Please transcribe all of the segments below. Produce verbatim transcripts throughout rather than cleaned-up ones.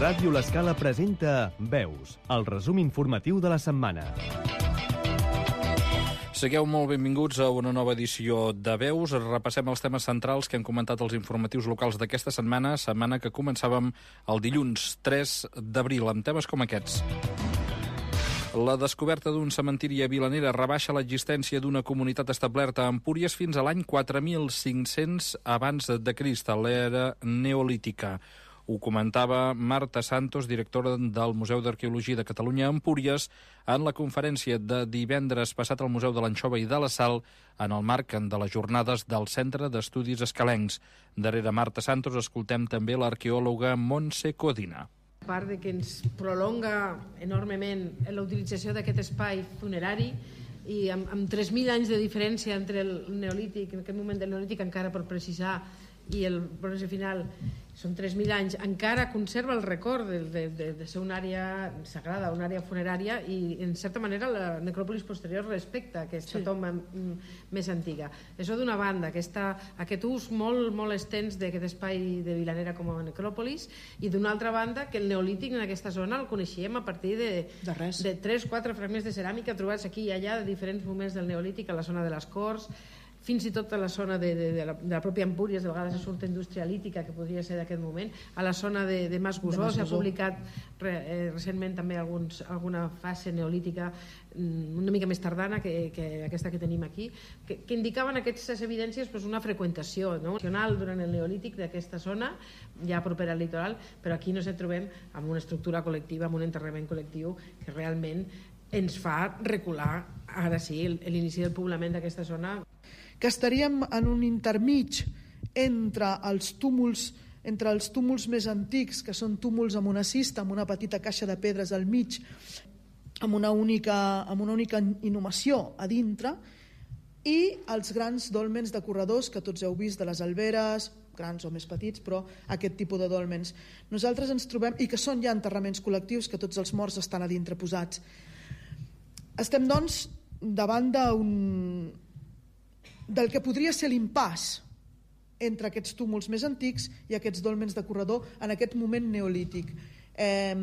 Ràdio L'Escala presenta Veus, el resum informatiu de la setmana. Sigueu molt benvinguts a una nova edició de Veus. Repassem els temes centrals que han comentat els informatius locals d'aquesta setmana, setmana que començàvem el dilluns tres d'abril, amb temes com aquests. La descoberta d'un cementiri a Vilanera rebaixa l'existència d'una comunitat establerta a Empúries fins a l'any quatre mil cinc-cents abans de Crist, a l'era neolítica. Ho comentava Marta Santos, directora del Museu d'Arqueologia de Catalunya a Empúries, en la conferència de divendres passat al Museu de l'Anxova i de la Sal, en el marc de les jornades del Centre d'Estudis Escalencs. Darrere Marta Santos escoltem també l'arqueòloga Montse Codina. A part de que ens prolonga enormement la utilització d'aquest espai funerari i amb, amb tres mil anys de diferència entre el neolític, en aquest moment del neolític encara per precisar, i el bronze final són tres mil anys, encara conserva el record de, de, de, de ser una àrea sagrada, una àrea funerària, i en certa manera la necròpolis posterior respecta aquesta sí. tomba més antiga. Això d'una banda, aquesta, aquest ús molt, molt extens d'aquest espai de Vilanera com a necròpolis, i d'una altra banda que el neolític en aquesta zona el coneixíem a partir de, de, de tres o quatre fragments de ceràmica trobats aquí i allà de diferents moments del neolític, a la zona de les Corts, fins i tot a la zona de, de, de, la, de la pròpia Empúries, de vegades es surt indústria lítica, que podria ser d'aquest moment, a la zona de, de Mas Gusó, s'ha publicat re, eh, recentment també alguns, alguna fase neolítica una mica més tardana que, que aquesta que tenim aquí, que, que indicaven aquestes evidències pues, una freqüentació no? durant el neolític d'aquesta zona, ja propera al litoral, però aquí no ens trobem amb una estructura col·lectiva, amb un enterrament col·lectiu que realment ens fa recular, ara sí, l'inici del poblament d'aquesta zona. Que estaríem en un intermig entre els túmuls entre els túmuls més antics, que són túmuls amb una cista, amb una petita caixa de pedres al mig, amb una única, amb una única inhumació a dintre, i els grans dòlmens de corredors que tots heu vist de les alberes, grans o més petits, però aquest tipus de dòlmens. Nosaltres ens trobem, i que són ja enterraments col·lectius, que tots els morts estan a dintre posats. Estem, doncs, davant d'un del que podria ser l'impàs entre aquests túmuls més antics i aquests dòlmens de corredor en aquest moment neolític. Eh,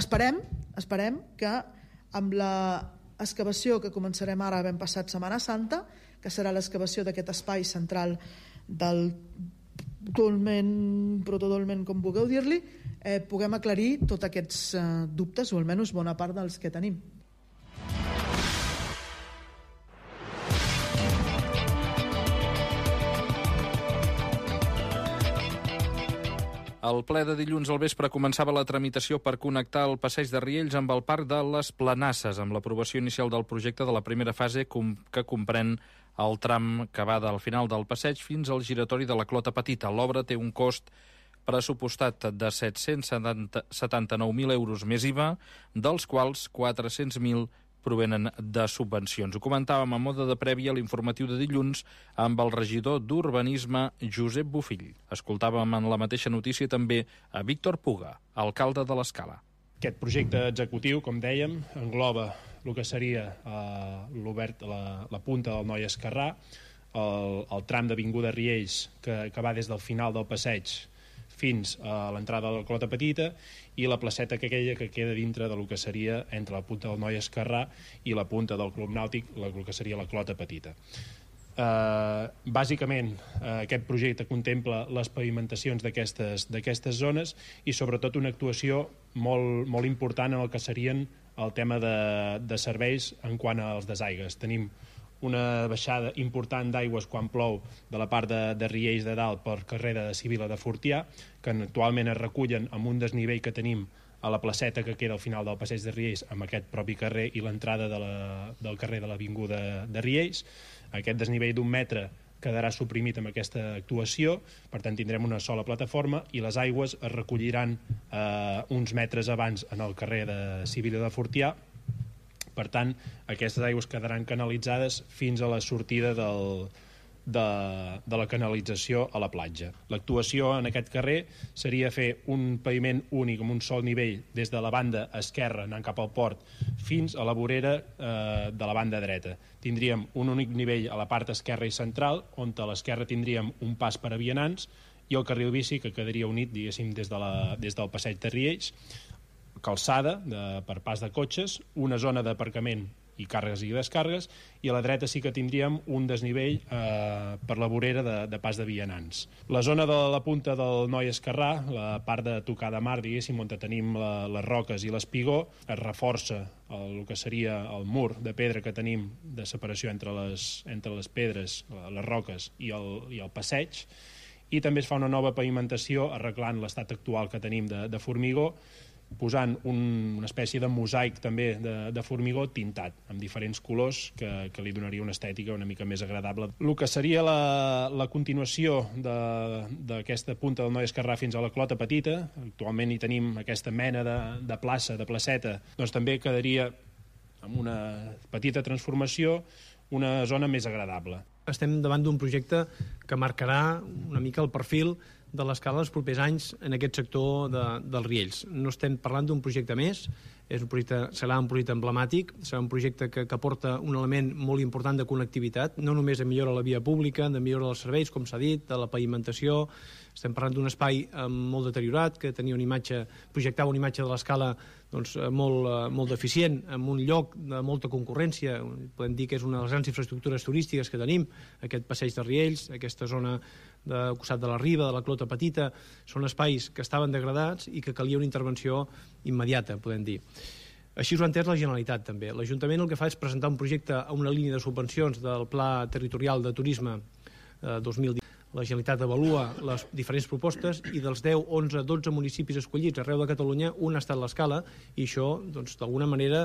esperem, esperem que amb la excavació que començarem ara ben passat Setmana Santa, que serà l'excavació d'aquest espai central del dolmen, protodolmen, com vulgueu dir-li, eh, puguem aclarir tots aquests eh, dubtes, o almenys bona part dels que tenim. El ple de dilluns al vespre començava la tramitació per connectar el passeig de Riells amb el Parc de les Planasses, amb l'aprovació inicial del projecte de la primera fase que comprèn el tram que va del final del passeig fins al giratori de la Clota Petita. L'obra té un cost pressupostat de set-cents setanta-nou mil euros més I V A, dels quals quatre-cents mil provenen de subvencions. Ho comentàvem a mode de prèvia a l'informatiu de dilluns amb el regidor d'Urbanisme, Josep Bofill. Escoltàvem en la mateixa notícia també a Víctor Puga, alcalde de l'Escala. Aquest projecte executiu, com dèiem, engloba el que seria eh, l'obert, la, la punta del Noi Esquerrà, el, el tram d'Avinguda Riells, que, que va des del final del passeig fins a l'entrada de la Clota Petita, i la placeta que aquella que queda dintre del que seria entre la punta del Noi Esquerrà i la punta del Club Nàutic, el que seria la Clota Petita. Uh, bàsicament, uh, aquest projecte contempla les pavimentacions d'aquestes d'aquestes zones i sobretot una actuació molt, molt important en el que serien el tema de, de serveis en quant als desaigues. Tenim una baixada important d'aigües quan plou de la part de, de Riells de dalt per carrer de Sibila de Fortià, que actualment es recullen amb un desnivell que tenim a la placeta que queda al final del passeig de Riells, amb aquest propi carrer i l'entrada de la, del carrer de l'Avinguda de Riells. Aquest desnivell d'un metre quedarà suprimit amb aquesta actuació, per tant tindrem una sola plataforma i les aigües es recolliran eh, uns metres abans en el carrer de Sibila de Fortià. Per tant, aquestes aigües quedaran canalitzades fins a la sortida del, de, de la canalització a la platja. L'actuació en aquest carrer seria fer un paviment únic amb un sol nivell des de la banda esquerra anant cap al port fins a la vorera eh, de la banda dreta. Tindríem un únic nivell a la part esquerra i central, on a l'esquerra tindríem un pas per a vianants i el carril bici que quedaria unit, diguéssim, des, de la, des del passeig de Riells, calçada de, per pas de cotxes, una zona d'aparcament i càrregues i descàrregues, i a la dreta sí que tindríem un desnivell eh, per la vorera de, de pas de vianants. La zona de la punta del Noi Esquerrà, la part de tocar de mar, diguéssim, on tenim la, les roques i l'espigó, es reforça el, el que seria el mur de pedra que tenim de separació entre les, entre les pedres, les roques i el, i el passeig, i també es fa una nova pavimentació arreglant l'estat actual que tenim de, de formigó, posant un, una espècie de mosaic també de, de formigó tintat, amb diferents colors que, que li donaria una estètica una mica més agradable. El que seria la, la continuació d'aquesta punta del Noi Esquerrà fins a la Clota Petita, actualment hi tenim aquesta mena de, de plaça, de placeta, doncs també quedaria amb una petita transformació, una zona més agradable. Estem davant d'un projecte que marcarà una mica el perfil de l'escala dels propers anys en aquest sector de, dels Riells. No estem parlant d'un projecte més, és un projecte, serà un projecte emblemàtic, serà un projecte que, que aporta un element molt important de connectivitat, no només de millora la via pública, de millora dels serveis, com s'ha dit, de la pavimentació. Estem parlant d'un espai eh, molt deteriorat, que tenia una imatge, projectava una imatge de l'escala doncs, molt, eh, molt deficient, en un lloc de molta concurrència. Podem dir que és una de les grans infraestructures turístiques que tenim, aquest passeig de Riells, aquesta zona de costat de la Riba, de la Clota Petita, són espais que estaven degradats i que calia una intervenció immediata, podem dir. Així ho ha entès la Generalitat, també. L'Ajuntament el que fa és presentar un projecte a una línia de subvencions del Pla Territorial de Turisme eh, dos mil divuit. La Generalitat avalua les diferents propostes i dels deu, onze, dotze municipis escollits arreu de Catalunya, un ha estat l'Escala, i això, doncs, d'alguna manera,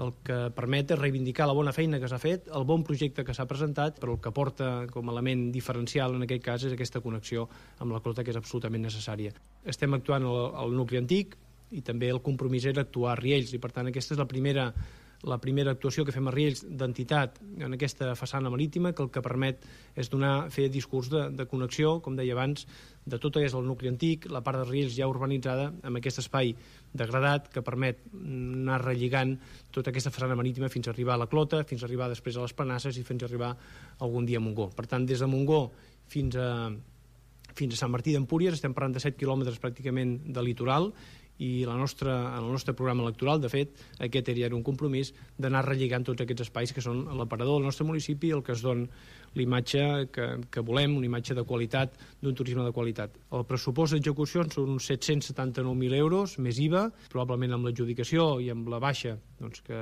el que permet és reivindicar la bona feina que s'ha fet, el bon projecte que s'ha presentat, però el que porta com a element diferencial en aquest cas és aquesta connexió amb la Clota, que és absolutament necessària. Estem actuant al, al nucli antic i també el compromís era actuar a Riells, i per tant aquesta és la primera la primera actuació que fem a Riells d'entitat en aquesta façana marítima, que el que permet és donar, fer discurs de, de connexió, com deia abans, de tot el que és el nucli antic, la part de Riells ja urbanitzada, amb aquest espai degradat que permet anar relligant tota aquesta façana marítima fins a arribar a la Clota, fins a arribar després a les Planasses i fins a arribar algun dia a Montgó. Per tant, des de Montgó fins a, fins a Sant Martí d'Empúries estem parlant de set quilòmetres pràcticament de litoral, i la nostra, en el nostre programa electoral, de fet, aquest era un compromís d'anar relligant tots aquests espais que són l'aparador del nostre municipi, el que es dona l'imatge que, que volem, una imatge de qualitat, d'un turisme de qualitat. El pressupost d'execució són uns set-cents setanta-nou mil euros, més I V A, probablement amb l'adjudicació i amb la baixa, doncs, que,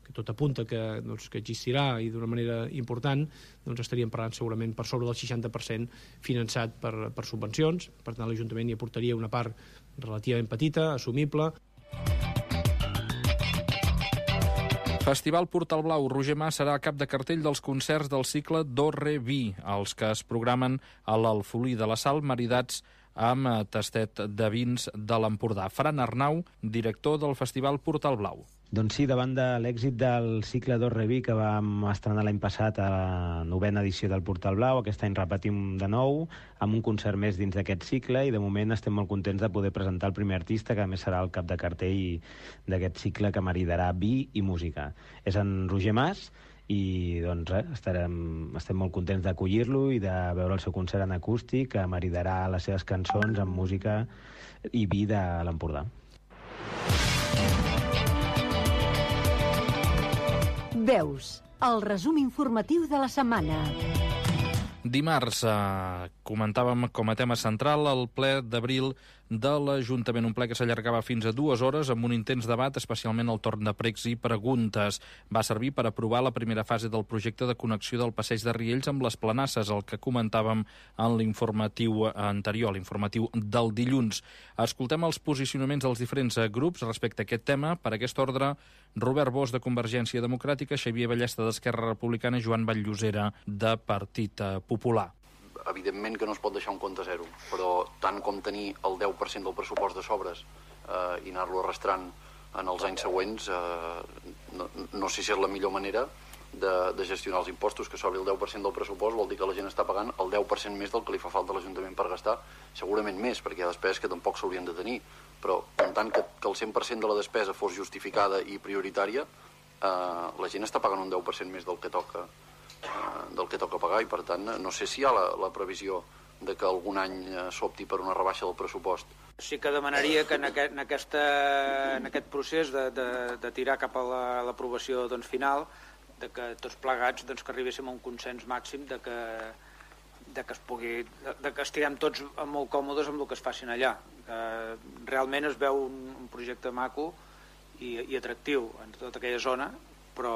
que tot apunta que, doncs, que existirà i d'una manera important, doncs estaríem parlant segurament per sobre del seixanta per cent finançat per, per subvencions. Per tant, l'Ajuntament hi aportaria una part relativament petita, assumible. Festival Portal Blau. Roger Mas serà cap de cartell dels concerts del cicle Do Re Vi, els que es programen a l'Alfolí de la Sal, maridats amb tastet de vins de l'Empordà. Fran Arnau, director del Festival Portal Blau. Doncs sí, davant de l'èxit del cicle Do Re Vi que vam estrenar l'any passat a la novena edició del Portal Blau, aquest any repetim de nou amb un concert més dins d'aquest cicle i de moment estem molt contents de poder presentar el primer artista, que a més serà el cap de cartell d'aquest cicle que maridarà vi i música. És en Roger Mas i doncs res, estarem, estem molt contents d'acollir-lo i de veure el seu concert en acústic, que maridarà les seves cançons amb música i vi de l'Empordà. Veus, el resum informatiu de la setmana. Dimarts eh, comentàvem com a tema central el ple d'abril de l'Ajuntament, un ple que s'allargava fins a dues hores amb un intens debat, especialment el torn de pregs i preguntes. Va servir per aprovar la primera fase del projecte de connexió del passeig de Riells amb les Planasses, el que comentàvem en l'informatiu anterior, l'informatiu del dilluns. Escoltem els posicionaments dels diferents grups respecte a aquest tema. Per aquest ordre, Robert Bosch, de Convergència Democràtica, Xavier Ballesta, d'Esquerra Republicana, Joan Vallllosera, de Partit Popular. Evidentment que no es pot deixar un compte zero, però tant com tenir el deu per cent del pressupost de sobres eh, i anar-lo arrastrant en els anys següents, eh, no, no sé si és la millor manera de, de gestionar els impostos. Que sobri el deu per cent del pressupost vol dir que la gent està pagant el deu per cent més del que li fa falta a l'Ajuntament per gastar, segurament més, perquè hi ha despeses que tampoc s'haurien de tenir, però en tant que, que el cent per cent de la despesa fos justificada i prioritària, eh, la gent està pagant un deu per cent més del que toca del que toca pagar, i per tant no sé si hi ha la, la previsió de que algun any s'opti per una rebaixa del pressupost. Sí que demanaria que en aquest, en aquesta, en aquest procés de, de, de tirar cap a l'aprovació doncs, final, de que tots plegats doncs, que arribéssim a un consens màxim de que, de que es pugui, de, de que estiguem tots molt còmodes amb el que es facin allà. Eh, realment es veu un, un projecte maco i, i atractiu en tota aquella zona, però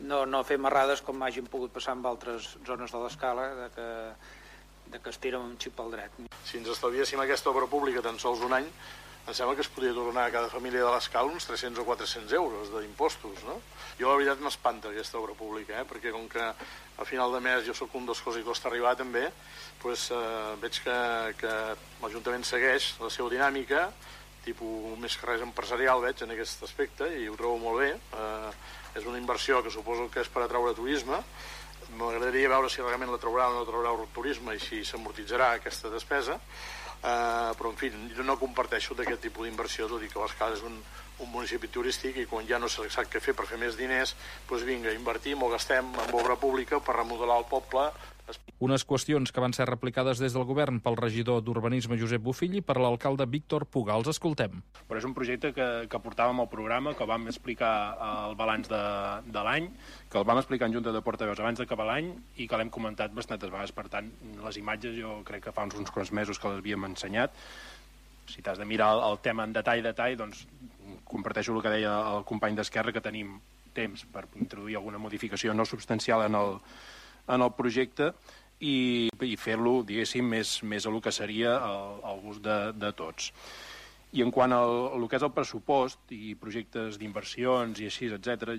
no, no fer marrades com hagin pogut passar en altres zones de l'escala, de que, de que es tira un xip al dret. Si ens estalviéssim aquesta obra pública tan sols un any, em sembla que es podria tornar a cada família de l'escala uns tres-cents o quatre-cents euros d'impostos, no? Jo la veritat m'espanta aquesta obra pública, eh? Perquè com que a final de mes jo sóc un dels coses que costa arribar també, doncs, eh, veig que, que l'Ajuntament segueix la seva dinàmica, tipus més que res empresarial veig en aquest aspecte, i ho trobo molt bé. Eh, és una inversió que suposo que és per atraure turisme. M'agradaria veure si realment la traurà o no traurà el turisme i si s'amortitzarà aquesta despesa. Uh, però en fi, jo no comparteixo d'aquest tipus d'inversió, tot i que l'Escala és un, un municipi turístic i quan ja no se sap què fer per fer més diners, doncs vinga, invertim o gastem en obra pública per remodelar el poble. Unes qüestions que van ser replicades des del govern pel regidor d'Urbanisme Josep Bofill i per l'alcalde Víctor Puga. Els escoltem. Però és un projecte que, que portàvem al programa, que vam explicar el balanç de, de l'any, que el vam explicar en Junta de Portaveus abans d'acabar l'any i que l'hem comentat bastantes vegades. Per tant, les imatges jo crec que fa uns, uns quants mesos que les havíem ensenyat. Si t'has de mirar el, el tema en detall, detall, doncs comparteixo el que deia el company d'Esquerra, que tenim temps per introduir alguna modificació no substancial en el, en el projecte i, i fer-lo, diguéssim, més, més a lo que seria el, el gust de, de tots. I en quant al, al que és el pressupost i projectes d'inversions i així, etcètera,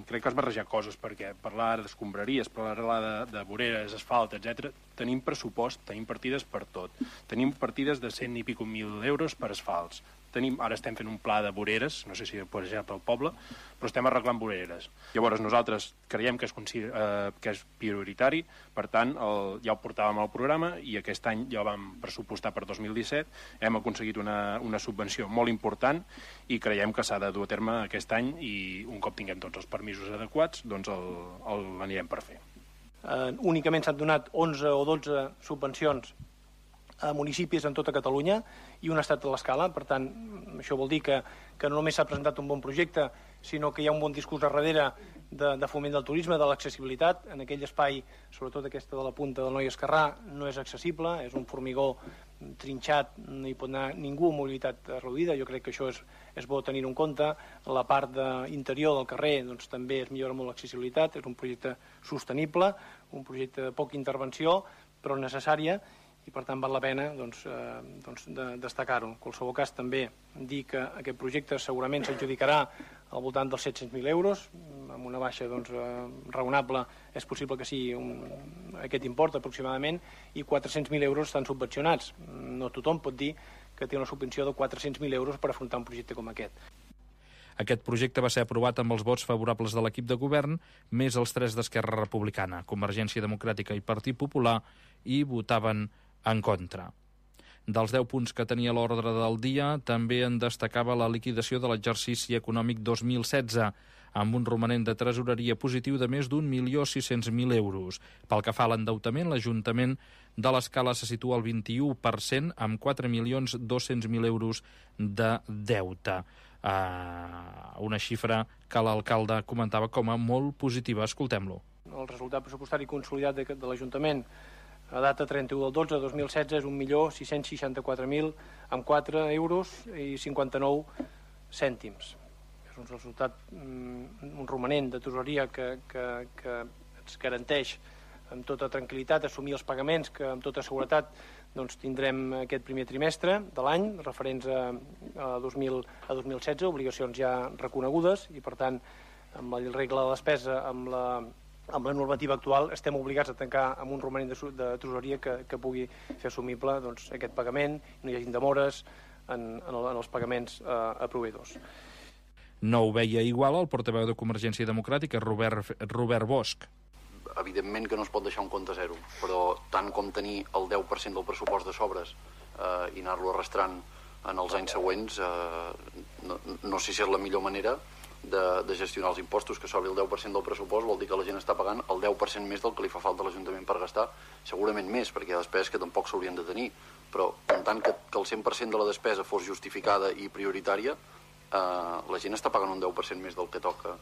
crec que has barrejat coses, perquè parlar d'escombraries, parlar de, de voreres, asfalt, etcètera, tenim pressupost, tenim partides per tot. Tenim partides de cent i pico mil euros per asfalts. Tenim, ara estem fent un pla de voreres, no sé si per exemple pel poble, però estem arreglant voreres. Llavors nosaltres creiem que és, eh, que és prioritari, per tant el, ja ho portàvem al programa i aquest any ja ho vam pressupostar per dos mil disset, hem aconseguit una, una subvenció molt important i creiem que s'ha de dur a terme aquest any i un cop tinguem tots els permisos adequats, doncs l'anirem per fer. Eh, únicament s'han donat onze o dotze subvencions a municipis en tota Catalunya i un estat de l'escala. Per tant, això vol dir que, que no només s'ha presentat un bon projecte, sinó que hi ha un bon discurs a darrere de, de foment del turisme, de l'accessibilitat. En aquell espai, sobretot aquesta de la punta del Noi Esquerrà, no és accessible, és un formigó trinxat, no hi pot anar ningú amb mobilitat reduïda. Jo crec que això és, és bo tenir-ho en compte. La part de interior del carrer doncs, també es millora molt l'accessibilitat, és un projecte sostenible, un projecte de poca intervenció, però necessària, i per tant val la pena doncs, eh, doncs de, destacar-ho. En qualsevol cas també dir que aquest projecte segurament s'adjudicarà al voltant dels set-cents mil euros, amb una baixa doncs, eh, raonable és possible que sigui un, aquest import aproximadament, i quatre-cents mil euros estan subvencionats. No tothom pot dir que té una subvenció de quatre-cents mil euros per afrontar un projecte com aquest. Aquest projecte va ser aprovat amb els vots favorables de l'equip de govern, més els tres d'Esquerra Republicana, Convergència Democràtica i Partit Popular, i votaven en contra. Dels deu punts que tenia l'ordre del dia, també en destacava la liquidació de l'exercici econòmic dos mil setze, amb un romanent de tresoreria positiu de més d'un milió sis-cents mil euros. Pel que fa a l'endeutament, l'Ajuntament de l'Escala se situa al vint-i-u per cent, amb quatre milions dos-cents mil euros de deute. Uh, una xifra que l'alcalde comentava com a molt positiva. Escoltem-lo. El resultat pressupostari consolidat de, de l'Ajuntament a data trenta-u del dotze de dos mil setze és un milió sis-cents seixanta-quatre mil amb quatre euros i cinquanta-nou cèntims. És un resultat, un romanent de tesoreria que, que, que ens garanteix amb tota tranquil·litat assumir els pagaments que amb tota seguretat doncs, tindrem aquest primer trimestre de l'any, referents a, a, dos mil, a dos mil setze, obligacions ja reconegudes, i per tant, amb la regla de despesa, amb la, amb la normativa actual, estem obligats a tancar amb un romanent de, de tresoreria que, que pugui fer assumible doncs, aquest pagament, no hi hagi demores en, en, el, en els pagaments eh, a proveïdors. No ho veia igual el portaveu de Convergència Democràtica, Robert, Robert Bosch. Evidentment que no es pot deixar un compte zero, però tant com tenir el deu per cent del pressupost de sobres eh, i anar-lo arrastrant en els anys següents, eh, no, no sé si és la millor manera, de, de gestionar els impostos, que sobri el deu per cent del pressupost vol dir que la gent està pagant el deu per cent més del que li fa falta a l'Ajuntament per gastar, segurament més, perquè hi ha despeses que tampoc s'haurien de tenir, però en tant que, que el cent per cent de la despesa fos justificada i prioritària, eh, la gent està pagant un deu per cent més del que toca,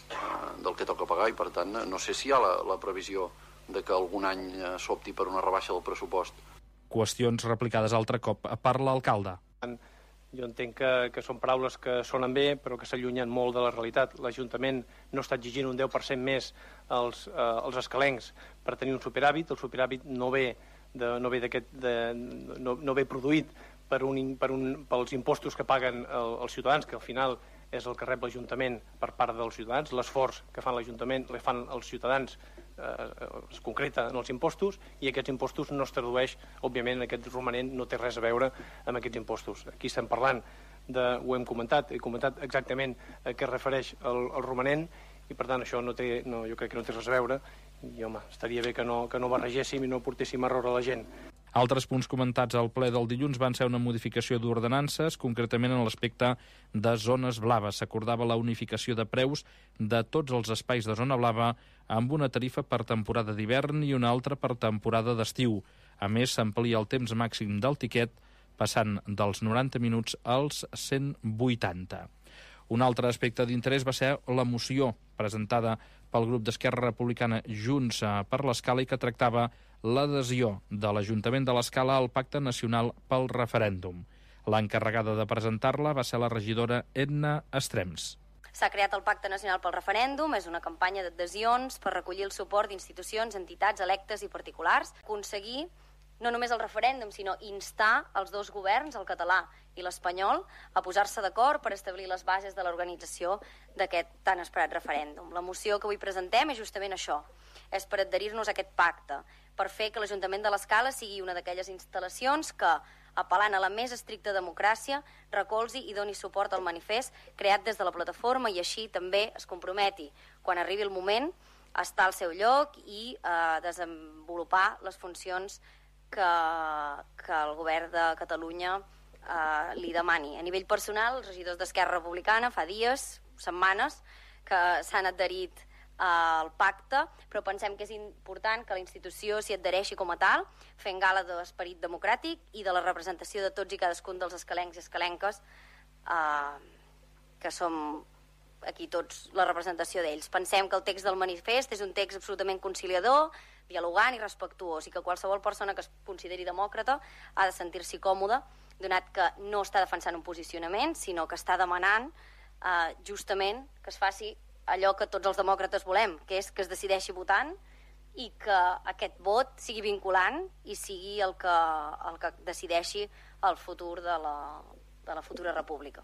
eh, del que toca pagar, i per tant no sé si hi ha la, la previsió de que algun any s'opti per una rebaixa del pressupost. Qüestions replicades altre cop per l'alcalde. Jo entenc que, que són paraules que sonen bé, però que s'allunyen molt de la realitat. L'Ajuntament no està exigint un deu per cent més als, eh, als escalencs per tenir un superàvit. El superàvit no ve, de, no ve, de, no, no ve produït per un, per un, pels impostos que paguen el, els ciutadans, que al final és el que rep l'Ajuntament per part dels ciutadans. L'esforç que fan l'Ajuntament el fan els ciutadans, eh, es concreta en els impostos, i aquests impostos no es tradueix, òbviament aquest romanent no té res a veure amb aquests impostos. Aquí estem parlant, de, ho hem comentat, he comentat exactament a què es refereix el, el romanent, i per tant això no té, no, jo crec que no té res a veure, i home, estaria bé que no, que no barregéssim i no portéssim error a la gent. Altres punts comentats al ple del dilluns van ser una modificació d'ordenances, concretament en l'aspecte de zones blaves. S'acordava la unificació de preus de tots els espais de zona blava amb una tarifa per temporada d'hivern i una altra per temporada d'estiu. A més, s'amplia el temps màxim del tiquet, passant dels noranta minuts als cent vuitanta. Un altre aspecte d'interès va ser la moció presentada pel grup d'Esquerra Republicana Junts per l'Escala i que tractava l'adhesió de l'Ajuntament de l'Escala al Pacte Nacional pel Referèndum. L'encarregada de presentar-la va ser la regidora Edna Estrems. S'ha creat el Pacte Nacional pel Referèndum, és una campanya d'adhesions per recollir el suport d'institucions, entitats, electes i particulars, aconseguir no només el referèndum, sinó instar els dos governs, el català i l'espanyol, a posar-se d'acord per establir les bases de l'organització d'aquest tan esperat referèndum. La moció que avui presentem és justament això, és per adherir-nos a aquest pacte, per fer que l'Ajuntament de l'Escala sigui una d'aquelles instal·lacions que, apel·lant a la més estricta democràcia, recolzi i doni suport al manifest creat des de la plataforma i així també es comprometi, quan arribi el moment, a estar al seu lloc i a desenvolupar les funcions que, que el govern de Catalunya eh, li demani. A nivell personal, els regidors d'Esquerra Republicana fa dies, setmanes, que s'han adherit al pacte, però pensem que és important que la institució s'hi adhereixi com a tal, fent gala de l'esperit democràtic i de la representació de tots i cadascun dels escalencs i escalenques, eh, que som aquí tots la representació d'ells. Pensem que el text del manifest és un text absolutament conciliador, dialogant i respectuós, i que qualsevol persona que es consideri demòcrata ha de sentir-s'hi còmoda, donat que no està defensant un posicionament, sinó que està demanant eh, justament que es faci allò que tots els demòcrates volem, que és que es decideixi votant i que aquest vot sigui vinculant i sigui el que, el que decideixi el futur de la, de la futura república.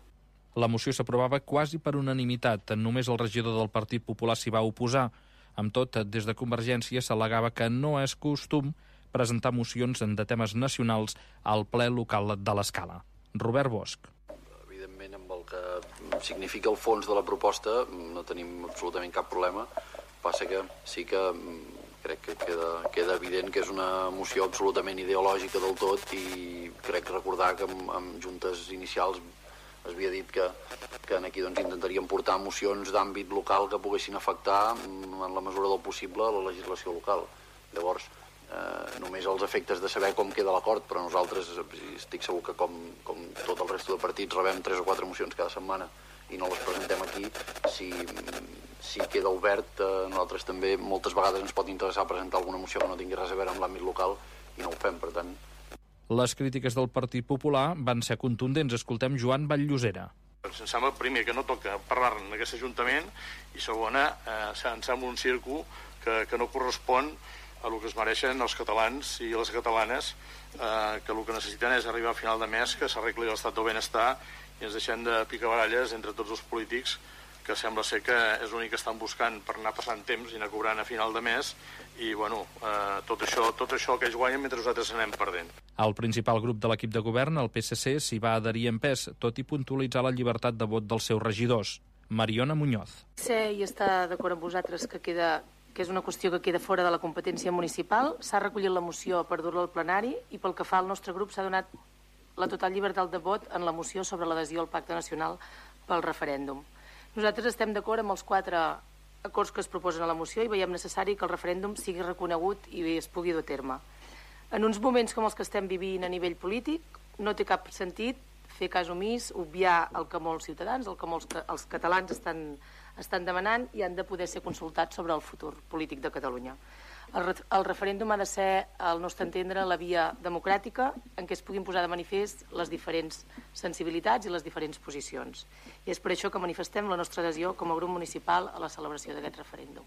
La moció s'aprovava quasi per unanimitat. Només el regidor del Partit Popular s'hi va oposar. Amb tot, des de Convergència s'al·legava que no és costum presentar mocions de temes nacionals al ple local de l'Escala. Robert Bosch. Evidentment, amb el que significa el fons de la proposta no tenim absolutament cap problema. Passa que sí que crec que queda, queda evident que és una moció absolutament ideològica del tot i crec recordar que amb, amb juntes inicials es havia dit que, que aquí doncs, intentaríem portar mocions d'àmbit local que poguessin afectar en la mesura del possible la legislació local. Llavors, eh, només els efectes de saber com queda l'acord, però nosaltres estic segur que com, com tot el resto de partits rebem tres o quatre mocions cada setmana i no les presentem aquí, si, si queda obert, eh, nosaltres també moltes vegades ens pot interessar presentar alguna moció que no tingui res a veure amb l'àmbit local i no ho fem, per tant. Les crítiques del Partit Popular van ser contundents. Escoltem Joan Vall-llosera. Em sembla, primer, que no toca parlar-ne en aquest Ajuntament i, segona, eh, em sembla un circo que, que no correspon a el que es mereixen els catalans i les catalanes, eh, que el que necessiten és arribar a final de mes, que s'arregli l'estat del benestar i ens deixem de picabaralles entre tots els polítics que sembla ser que és l'únic que estan buscant per anar passant temps i anar cobrant a final de mes i, bueno, eh, tot això, tot això que ells guanyen mentre nosaltres anem perdent. El principal grup de l'equip de govern, el P S C, s'hi va adherir en pes, tot i puntualitzar la llibertat de vot dels seus regidors. Mariona Muñoz. Sé i està d'acord amb vosaltres que, queda, que és una qüestió que queda fora de la competència municipal. S'ha recollit la moció per dur-la al plenari i pel que fa al nostre grup s'ha donat la total llibertat de vot en la moció sobre l'adhesió al Pacte Nacional pel referèndum. Nosaltres estem d'acord amb els quatre acords que es proposen a la moció i veiem necessari que el referèndum sigui reconegut i es pugui dur a terme. En uns moments com els que estem vivint a nivell polític, no té cap sentit fer cas omís, obviar el que molts ciutadans, el que molts els catalans estan, estan demanant i han de poder ser consultats sobre el futur polític de Catalunya. El, re el referèndum ha de ser, al nostre entendre, la via democràtica en què es puguin posar de manifest les diferents sensibilitats i les diferents posicions. I és per això que manifestem la nostra adhesió com a grup municipal a la celebració d'aquest referèndum.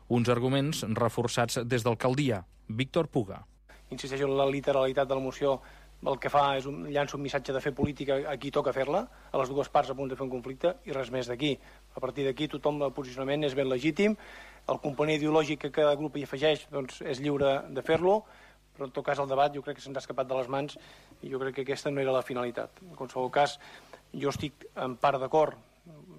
Uns arguments reforçats des d'alcaldia. Víctor Puga. Insisteixo en la literalitat de la moció. El que fa és un, llança un missatge de fer política a qui toca fer-la, a les dues parts a punt de fer un conflicte, i res més d'aquí. A partir d'aquí tothom el posicionament és ben legítim, el component ideològic que cada grup hi afegeix doncs, és lliure de fer-lo, però en tot cas el debat jo crec que se'ns ha escapat de les mans i jo crec que aquesta no era la finalitat. En qualsevol cas, jo estic en part d'acord,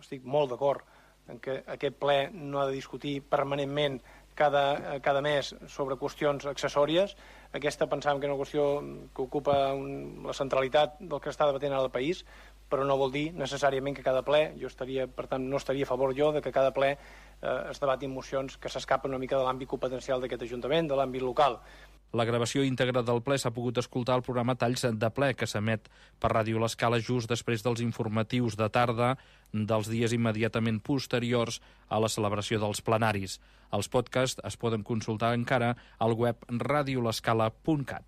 estic molt d'acord en que aquest ple no ha de discutir permanentment cada, cada mes sobre qüestions accessòries. Aquesta pensàvem que era una qüestió que ocupa un, la centralitat del que està debatent ara el país, però no vol dir necessàriament que cada ple, jo estaria, per tant, no estaria a favor jo de que cada ple eh, es debatin mocions que s'escapen una mica de l'àmbit competencial d'aquest Ajuntament, de l'àmbit local. La gravació íntegra del ple s'ha pogut escoltar al programa Talls de ple, que s'emet per Ràdio L'Escala just després dels informatius de tarda dels dies immediatament posteriors a la celebració dels plenaris. Els podcasts es poden consultar encara al web radio l'escala punt cat.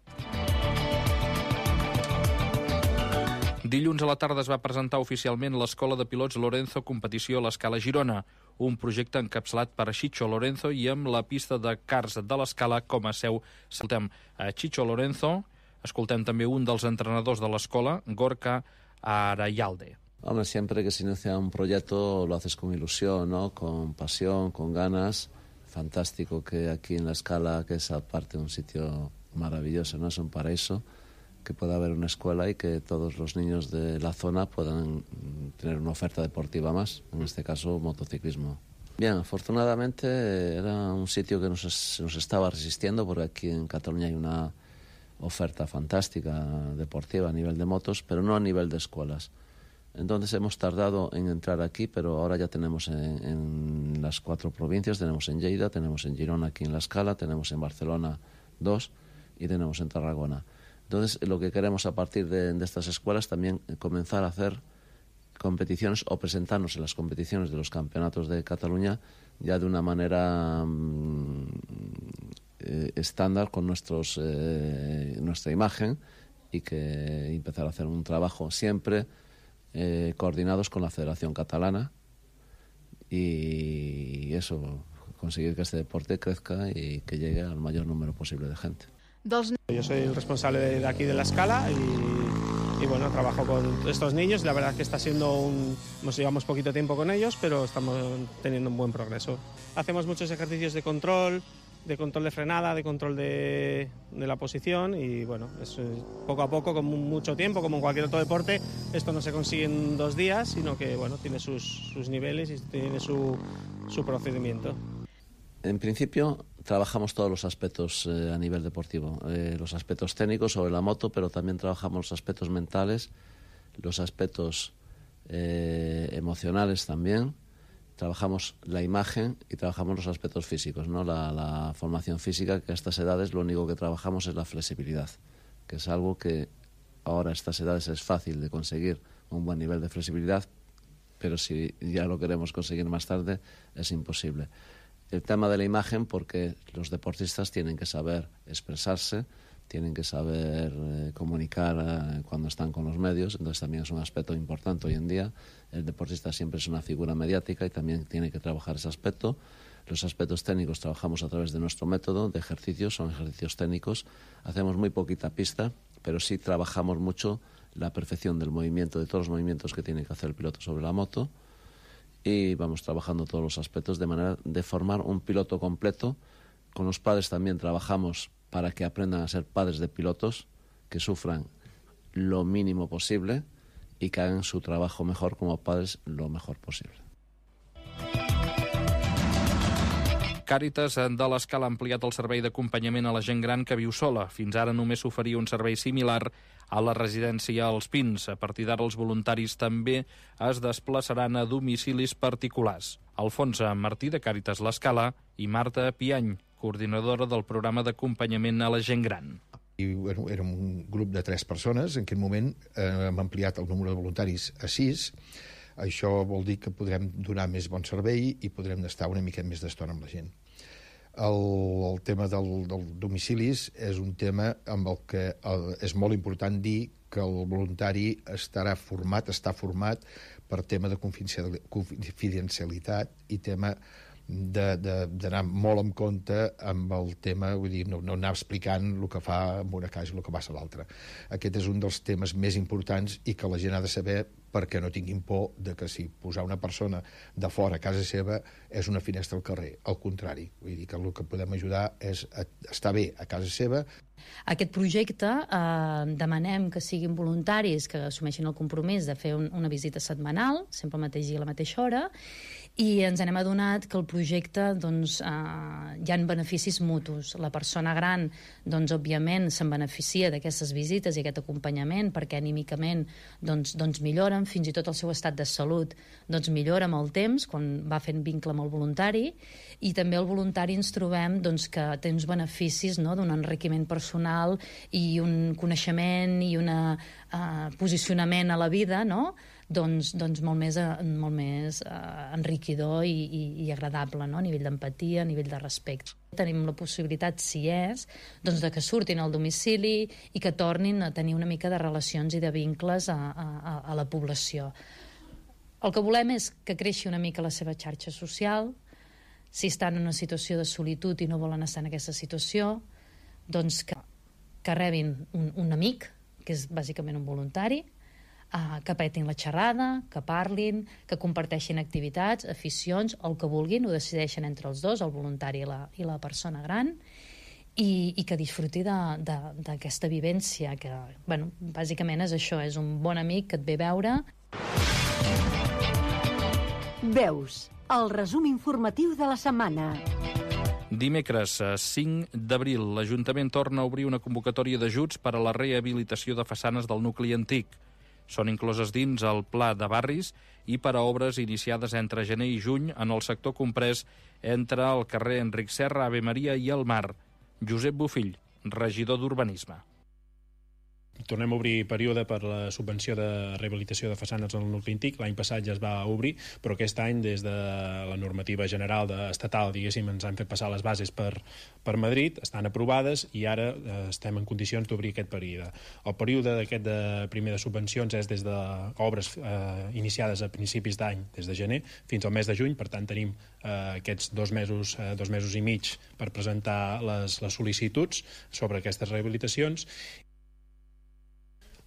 Dilluns a la tarda es va presentar oficialment l'Escola de Pilots Lorenzo Competició a l'Escala Girona, un projecte encapçalat per Chicho Lorenzo i amb la pista de karts de l'Escala com a seu. Escoltem a Chicho Lorenzo, escoltem també un dels entrenadors de l'escola, Gorka Arayalde. Hombre, siempre que se inicia un proyecto lo haces con ilusión, ¿no? Con pasión, con ganas. Fantástico que aquí en la Escala, que es aparte un sitio maravilloso, ¿no? Es un paraíso, que pueda haber una escuela y que todos los niños de la zona puedan tener una oferta deportiva más, en este caso motociclismo. Bien, afortunadamente era un sitio que nos, se nos estaba resistiendo porque aquí en Cataluña hay una oferta fantástica deportiva a nivel de motos, pero no a nivel de escuelas. Entonces hemos tardado en entrar aquí, pero ahora ya tenemos en, en las cuatro provincias, tenemos en Lleida, tenemos en Girona aquí en La Escala, tenemos en Barcelona dos y tenemos en Tarragona. Entonces, lo que queremos a partir de, de estas escuelas también comenzar a hacer competiciones o presentarnos en las competiciones de los campeonatos de Cataluña ya de una manera mmm, eh, estándar con nuestros, eh, nuestra imagen y que empezar a hacer un trabajo siempre eh, coordinados con la Federación Catalana y eso, conseguir que este deporte crezca y que llegue al mayor número posible de gente. Yo soy el responsable de aquí de La Escala y, y bueno, trabajo con estos niños. La verdad que está siendo un... Nos llevamos poquito tiempo con ellos, pero estamos teniendo un buen progreso. Hacemos muchos ejercicios de control, de control de frenada, de control de, de la posición y bueno, es, poco a poco, con mucho tiempo, como en cualquier otro deporte, esto no se consigue en dos días, sino que bueno, tiene sus, sus niveles y tiene su, su procedimiento. En principio trabajamos todos los aspectos eh, a nivel deportivo, eh, los aspectos técnicos sobre la moto, pero también trabajamos los aspectos mentales, los aspectos eh, emocionales también, trabajamos la imagen y trabajamos los aspectos físicos, ¿no? La, la formación física, que a estas edades lo único que trabajamos es la flexibilidad, que es algo que ahora a estas edades es fácil de conseguir un buen nivel de flexibilidad, pero si ya lo queremos conseguir más tarde es imposible. El tema de la imagen, porque los deportistas tienen que saber expresarse, tienen que saber eh, comunicar eh, cuando están con los medios, entonces también es un aspecto importante hoy en día. El deportista siempre es una figura mediática y también tiene que trabajar ese aspecto. Los aspectos técnicos trabajamos a través de nuestro método de ejercicios, son ejercicios técnicos. Hacemos muy poquita pista, pero sí trabajamos mucho la perfección del movimiento, de todos los movimientos que tiene que hacer el piloto sobre la moto. Y vamos trabajando todos los aspectos de manera de formar un piloto completo. Con los padres también trabajamos para que aprendan a ser padres de pilotos, que sufran lo mínimo posible y que hagan su trabajo mejor como padres lo mejor posible. Càritas de l'Escala ha ampliat el servei d'acompanyament a la gent gran que viu sola. Fins ara només s'oferia un servei similar a la residència als Pins. A partir d'ara els voluntaris també es desplaçaran a domicilis particulars. Alfonso Martí, de Càritas l'Escala, i Marta Piany, coordinadora del programa d'acompanyament a la gent gran. Érem un grup de tres persones. En aquest moment eh, hem ampliat el número de voluntaris a sis. Això vol dir que podrem donar més bon servei i podrem estar una mica més d'estona amb la gent. El, el tema del, del domicilis és un tema amb el que el, és molt important dir que el voluntari estarà format, està format per tema de confidencialitat i tema d'anar molt en compte amb el tema, vull dir, no, no anar explicant el que fa en una casa i el que passa a l'altra. Aquest és un dels temes més importants i que la gent ha de saber perquè no tinguin por de que si posar una persona de fora a casa seva és una finestra al carrer. Al contrari, vull dir que el que podem ajudar és a estar bé a casa seva. Aquest projecte eh, demanem que siguin voluntaris que assumeixin el compromís de fer un, una visita setmanal, sempre al mateix dia a la mateixa hora, i ens hem adonat que el projecte doncs, eh, hi ha beneficis mutus. La persona gran, doncs, òbviament, se'n beneficia d'aquestes visites i aquest acompanyament perquè anímicament doncs, doncs milloren, fins i tot el seu estat de salut doncs, millora amb el temps quan va fent vincle amb el voluntari, i també el voluntari ens trobem doncs, que té uns beneficis, no?, d'un enriquiment personal i un coneixement i un uh, posicionament a la vida, no?, doncs, doncs molt més, molt més uh, enriquidor i, i, i agradable, no?, a nivell d'empatia, a nivell de respecte. Tenim la possibilitat, si és, doncs de que surtin al domicili i que tornin a tenir una mica de relacions i de vincles a, a, a la població. El que volem és que creixi una mica la seva xarxa social. Si estan en una situació de solitud i no volen estar en aquesta situació, doncs que, que rebin un, un amic, que és bàsicament un voluntari, uh, que petin la xerrada, que parlin, que comparteixin activitats, aficions, el que vulguin, ho decideixen entre els dos, el voluntari i la, i la persona gran, i, i que disfruti d'aquesta vivència, que, bueno, bàsicament és això, és un bon amic que et ve a veure. Veus, el resum informatiu de la setmana. Dimecres cinc d'abril, l'Ajuntament torna a obrir una convocatòria d'ajuts per a la rehabilitació de façanes del nucli antic. Són incloses dins el Pla de Barris i per a obres iniciades entre gener i juny en el sector comprès entre el carrer Enric Serra, Ave Maria i el Mar. Josep Bofill, regidor d'Urbanisme. Tornem a obrir període per la subvenció de rehabilitació de façanes en el nucli antic. L'any passat ja es va obrir, però aquest any, des de la normativa general de, estatal, diguéssim, ens han fet passar les bases per, per Madrid, estan aprovades i ara eh, estem en condicions d'obrir aquest període. El període d'aquest de primer de subvencions és des d'obres eh, iniciades a principis d'any, des de gener, fins al mes de juny, per tant tenim eh, aquests dos mesos, eh, dos mesos i mig per presentar les, les sol·licituds sobre aquestes rehabilitacions.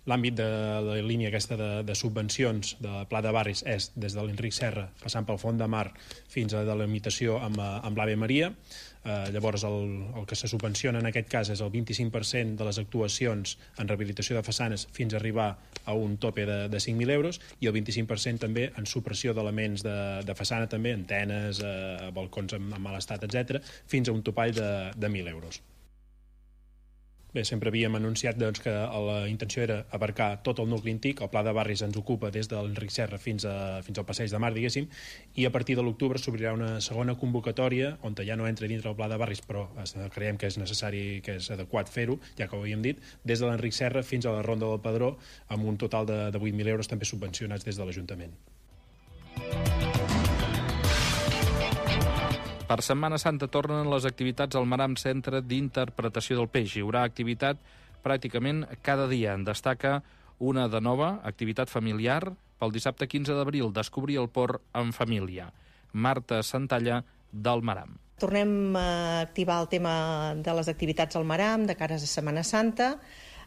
L'àmbit de la línia aquesta de, de subvencions de Pla de Barris és des de l'Enric Serra, passant pel Font de Mar, fins a la limitació amb, amb l'Ave Maria. Eh, llavors, el, el que se subvenciona en aquest cas és el vint-i-cinc per cent de les actuacions en rehabilitació de façanes fins a arribar a un tope de, de cinc mil euros i el vint-i-cinc per cent també en supressió d'elements de, de façana, també antenes, eh, balcons en, en mal estat, etcètera, fins a un topall de, de mil euros. Bé, sempre havíem anunciat doncs, que la intenció era abarcar tot el nucli antic. El Pla de Barris ens ocupa des de l'Enric Serra fins, a, fins al Passeig de Mar, diguéssim, i a partir de l'octubre s'obrirà una segona convocatòria on ja no entra dintre el Pla de Barris, però creiem que és necessari, que és adequat fer-ho, ja que ho havíem dit, des de l'Enric Serra fins a la Ronda del Pedró, amb un total de, de vuit mil euros també subvencionats des de l'Ajuntament. Per Setmana Santa tornen les activitats al Maram Centre d'Interpretació del Peix. Hi haurà activitat pràcticament cada dia. En destaca una de nova, activitat familiar, pel dissabte quinze d'abril, descobrir el port en família. Marta Santalla, del Maram. Tornem a activar el tema de les activitats al Maram de cara a Setmana Santa.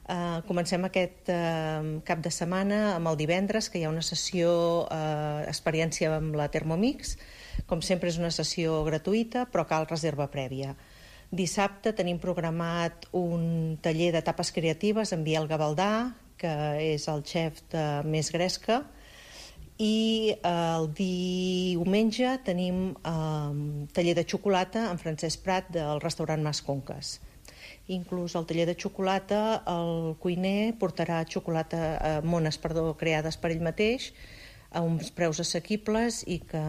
Uh, comencem aquest uh, cap de setmana amb el divendres, que hi ha una sessió uh, experiència amb la Thermomix. Com sempre és una sessió gratuïta, però cal reserva prèvia. Dissabte tenim programat un taller de tapes creatives amb Biel Gavaldà, que és el xef de Més Gresca, I el diumenge tenim eh, taller de xocolata amb Francesc Prat del restaurant Mas Conques. Inclús al taller de xocolata el cuiner portarà xocolata, eh, mones perdó, creades per ell mateix a uns preus assequibles i que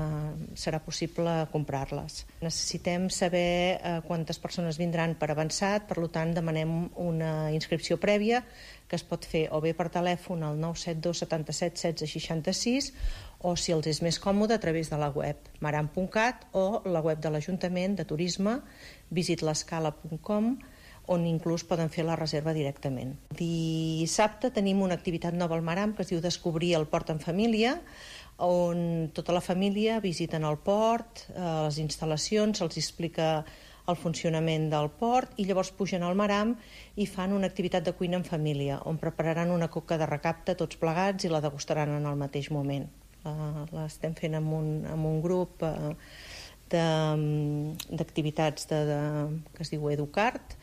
serà possible comprar-les. Necessitem saber eh, quantes persones vindran per avançat, per tant demanem una inscripció prèvia que es pot fer o bé per telèfon al nou set dos setanta-set setze seixanta-sis o, si els és més còmode, a través de la web maram punt cat o la web de l'Ajuntament de Turisme visit l'escala punt com, on inclús poden fer la reserva directament. Dissabte tenim una activitat nova al Maram que es diu Descobrir el port en família, on tota la família visiten el port, les instal·lacions, se'ls explica el funcionament del port i llavors pugen al Maram i fan una activitat de cuina en família, on prepararan una coca de recapte tots plegats i la degustaran en el mateix moment. L'estem fent amb un, amb un grup d'activitats de, de, que es diu Educart,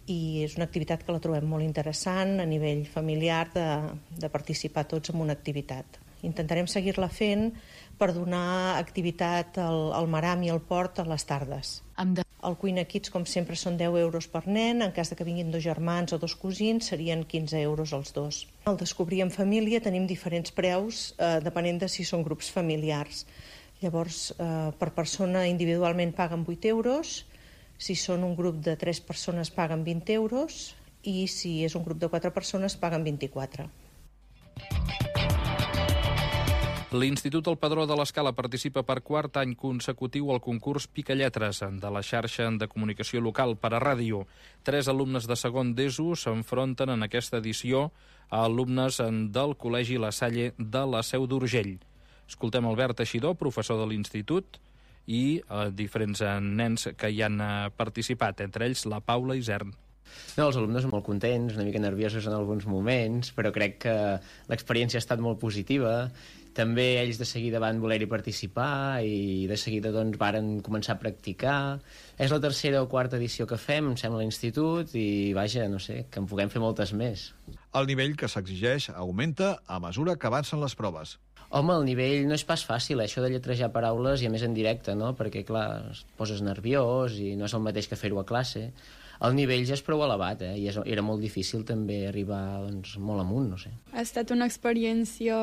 i és una activitat que la trobem molt interessant a nivell familiar de, de participar tots en una activitat. Intentarem seguir-la fent per donar activitat al, al Maram i al port a les tardes. El Cuina Kids, com sempre, són deu euros per nen. En cas de que vinguin dos germans o dos cosins, serien quinze euros els dos. Al Descobrir en família tenim diferents preus, eh, depenent de si són grups familiars. Llavors, eh, per persona individualment paguen vuit euros, si són un grup de tres persones paguen vint euros i si és un grup de quatre persones paguen vint-i-quatre. L'Institut El Padró de l'Escala participa per quart any consecutiu al concurs Picalletres de la xarxa de comunicació local per a ràdio. Tres alumnes de segon d'ESO s'enfronten en aquesta edició a alumnes del Col·legi La Salle de la Seu d'Urgell. Escoltem Albert Teixidor, professor de l'Institut, i eh, diferents eh, nens que hi han eh, participat, entre ells la Paula Isern. No, els alumnes són molt contents, una mica nerviosos en alguns moments, però crec que l'experiència ha estat molt positiva. També ells de seguida van voler-hi participar i de seguida doncs, varen començar a practicar. És la tercera o quarta edició que fem, em sembla, a l'institut, i vaja, no sé, que en puguem fer moltes més. El nivell que s'exigeix augmenta a mesura que avancen les proves. Home, el nivell no és pas fàcil, eh? Això de lletrejar paraules i a més en directe, no? Perquè, clar, et poses nerviós i no és el mateix que fer-ho a classe. El nivell ja és prou elevat, eh? I era molt difícil també arribar doncs, molt amunt, no sé. Ha estat una experiència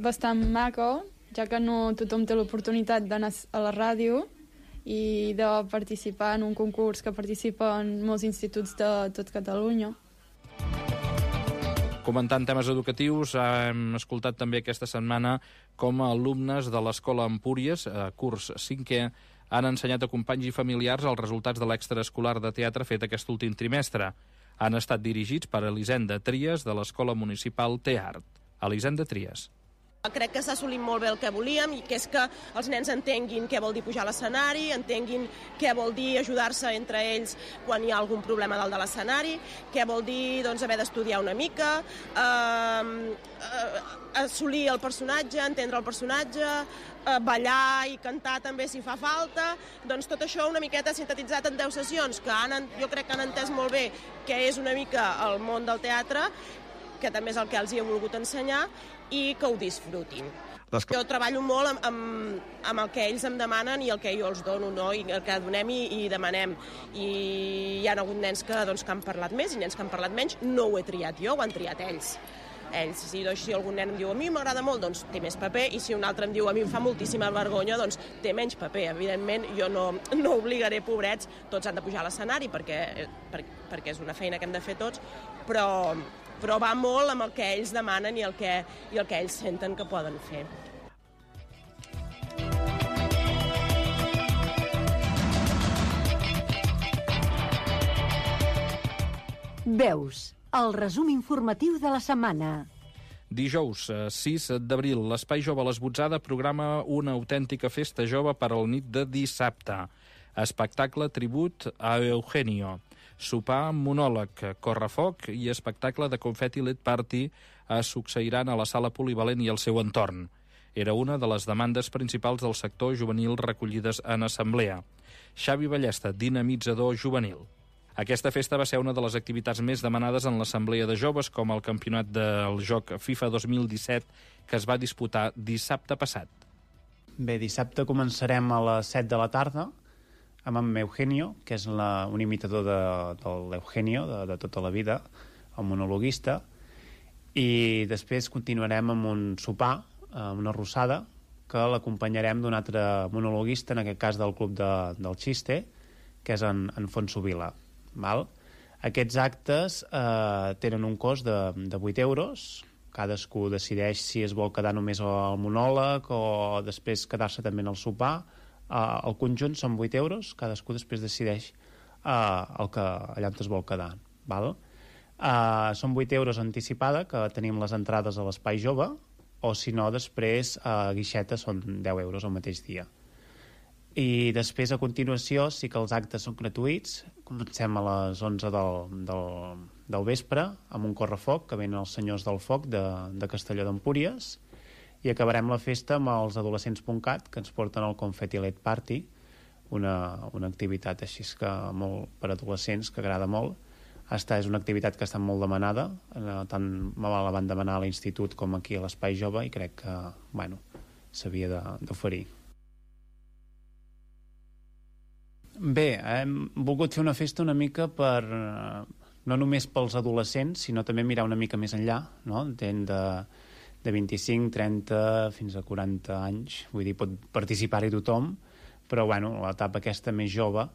bastant maca, ja que no tothom té l'oportunitat d'anar a la ràdio i de participar en un concurs que participen molts instituts de tot Catalunya. Comentant temes educatius, hem escoltat també aquesta setmana com alumnes de l'Escola Empúries, curs cinquè, han ensenyat a companys i familiars els resultats de l'extraescolar de teatre fet aquest últim trimestre. Han estat dirigits per Elisenda Trias, de l'Escola Municipal Teart. Elisenda Trias. Crec que s'ha assolit molt bé el que volíem, i que és que els nens entenguin què vol dir pujar a l'escenari, entenguin què vol dir ajudar-se entre ells quan hi ha algun problema dalt de l'escenari, què vol dir doncs, haver d'estudiar una mica, eh, eh, assolir el personatge, entendre el personatge, eh, ballar i cantar també si fa falta. Doncs tot això una miqueta sintetitzat en deu sessions, que han, jo crec que han entès molt bé què és una mica el món del teatre, que també és el que els hi he volgut ensenyar, i que ho disfrutin. Jo treballo molt amb, amb, amb el que ells em demanen i el que jo els dono, no? I el que donem i, i demanem. I hi ha hagut nens que, doncs, que han parlat més i nens que han parlat menys. No ho he triat jo, ho han triat ells. Ells, si, doncs, si algun nen em diu a mi m'agrada molt, doncs té més paper, i si un altre em diu a mi em fa moltíssima vergonya, doncs té menys paper. Evidentment, jo no, no obligaré, pobrets, tots han de pujar a l'escenari perquè, per, perquè és una feina que hem de fer tots, però, però va molt amb el que ells demanen i el que, i el que ells senten que poden fer. Veus, el resum informatiu de la setmana. Dijous, sis d'abril, l'Espai Jove L'Esbotzada programa una autèntica festa jove per al nit de dissabte. Espectacle tribut a Eugenio. Sopar, monòleg, correfoc i espectacle de confeti L E D Party es succeiran a la sala polivalent i al seu entorn. Era una de les demandes principals del sector juvenil recollides en assemblea. Xavi Ballesta, dinamitzador juvenil. Aquesta festa va ser una de les activitats més demanades en l'Assemblea de Joves, com el campionat del joc FIFA dos mil disset, que es va disputar dissabte passat. Bé, dissabte començarem a les set de la tarda amb en Eugenio, que és la, un imitador de, de l'Eugenio de, de tota la vida, el monologuista, i després continuarem amb un sopar, amb una rossada, que l'acompanyarem d'un altre monologuista, en aquest cas del Club de, del Xiste, que és en, en Fonso Vila. Val? Aquests actes eh, tenen un cost de, de vuit euros, cadascú decideix si es vol quedar només al monòleg o després quedar-se també en el sopar. Uh, el conjunt són vuit euros, cadascú després decideix uh, el que, allà on es vol quedar. Val? Uh, són vuit euros anticipada, que tenim les entrades a l'Espai Jove, o si no, després a uh, Guixeta són deu euros el mateix dia. I després, a continuació, sí que els actes són gratuïts. Comencem a les onze del, del, del vespre amb un correfoc, que venen els senyors del foc de, de Castelló d'Empúries, i acabarem la festa amb els adolescents punt cat, que ens porten el Confetti Light Party, una, una activitat així que molt per adolescents, que agrada molt. Esta és una activitat que està molt demanada, tant me la van demanar a l'institut com aquí a l'Espai Jove, i crec que, bueno, s'havia d'oferir. Bé, hem volgut fer una festa una mica per, no només pels adolescents, sinó també mirar una mica més enllà, no? De, de vint-i-cinc, trenta, fins a quaranta anys. Vull dir, pot participar-hi tothom, però, bueno, l'etapa aquesta més jove,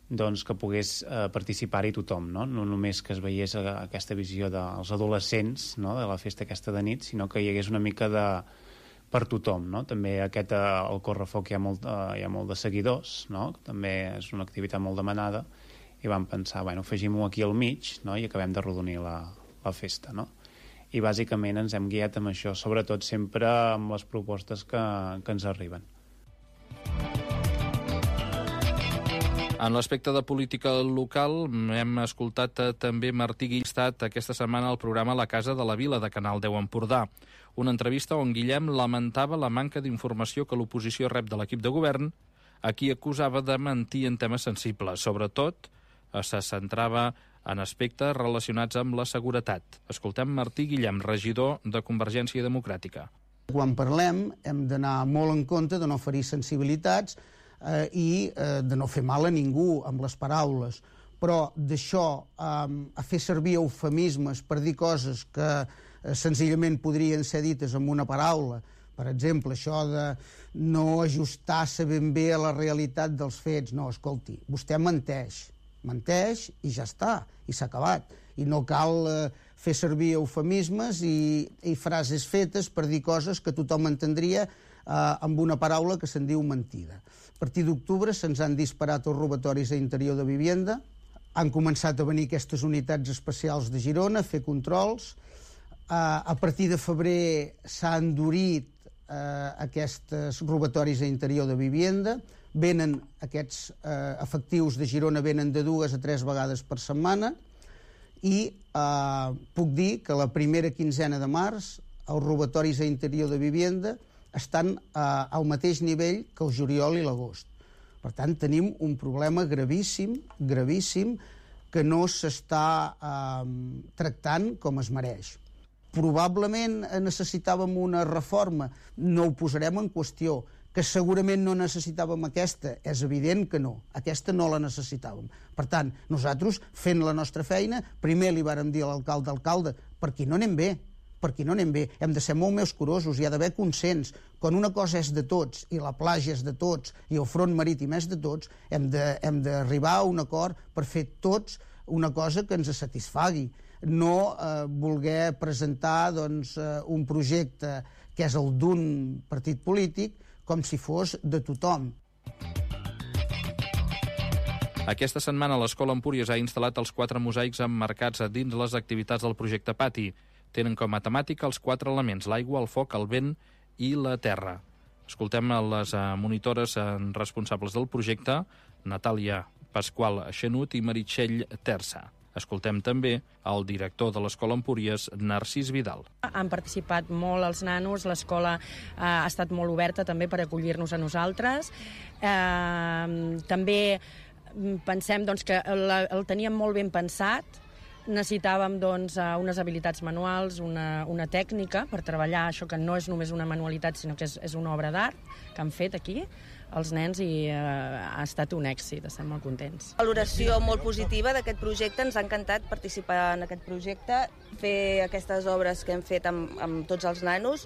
doncs que pogués eh, participar-hi tothom, no? No només que es veiés aquesta visió dels adolescents, no? De la festa aquesta de nit, sinó que hi hagués una mica de per tothom, no? També aquest, el correfoc hi ha molt, hi ha molt de seguidors, no? També és una activitat molt demanada, i vam pensar, bueno, afegim-ho aquí al mig, no? I acabem de rodonir la, la festa, no? I bàsicament ens hem guiat amb això, sobretot sempre amb les propostes que, que ens arriben. En l'aspecte de política local hem escoltat també Martí Guillestat aquesta setmana al programa La Casa de la Vila de Canal deu Empordà. Una entrevista on Guillem lamentava la manca d'informació que l'oposició rep de l'equip de govern, a qui acusava de mentir en temes sensibles. Sobretot, se centrava en aspectes relacionats amb la seguretat. Escoltem Martí Guillem, regidor de Convergència Democràtica. Quan parlem hem d'anar molt en compte de no ferir sensibilitats eh, i eh, de no fer mal a ningú amb les paraules. Però d'això eh, a fer servir eufemismes per dir coses que eh, senzillament podrien ser dites amb una paraula, per exemple, això de no ajustar-se ben bé a la realitat dels fets. No, escolti, vostè menteix. Menteix i ja està, i s'ha acabat. I no cal eh, fer servir eufemismes i, i frases fetes per dir coses que tothom entendria eh, amb una paraula que se'n diu mentida. A partir d'octubre se'ns han disparat els robatoris a interior de vivienda, han començat a venir aquestes unitats especials de Girona a fer controls, eh, a partir de febrer s'ha endurit eh, aquests robatoris a interior de vivienda, venen aquests eh, efectius de Girona venen de dues a tres vegades per setmana i eh, puc dir que la primera quinzena de març els robatoris a interior de vivienda estan eh, al mateix nivell que el juliol i l'agost. Per tant, tenim un problema gravíssim, gravíssim, que no s'està eh, tractant com es mereix. Probablement necessitàvem una reforma, no ho posarem en qüestió. Que segurament no necessitàvem aquesta, és evident que no. Aquesta no la necessitàvem. Per tant, nosaltres, fent la nostra feina, primer li vàrem dir a l'alcalde, alcalde, per aquí no anem bé, per aquí no anem bé, hem de ser molt més curosos, hi ha d'haver consens. Quan una cosa és de tots, i la platja és de tots, i el front marítim és de tots, hem de, hem d'arribar a un acord per fer tots una cosa que ens satisfagui. No eh, voler presentar doncs, eh, un projecte que és el d'un partit polític, com si fos de tothom. Aquesta setmana l'Escola Empúries ha instal·lat els quatre mosaics emmarcats dins les activitats del projecte Pati. Tenen com a temàtica els quatre elements, l'aigua, el foc, el vent i la terra. Escoltem a les monitores responsables del projecte, Natàlia Pasqual Xenut i Meritxell Terça. Escoltem també el director de l'Escola Empúries, Narcís Vidal. Han participat molt els nanos, l'escola eh, ha estat molt oberta també per acollir-nos a nosaltres. Eh, també pensem doncs, que la, el teníem molt ben pensat, necessitàvem doncs, unes habilitats manuals, una, una tècnica per treballar això que no és només una manualitat, sinó que és, és una obra d'art que han fet aquí els nens i eh, ha estat un èxit, estem molt contents. Valoració molt positiva d'aquest projecte, ens ha encantat participar en aquest projecte, fer aquestes obres que hem fet amb, amb tots els nanos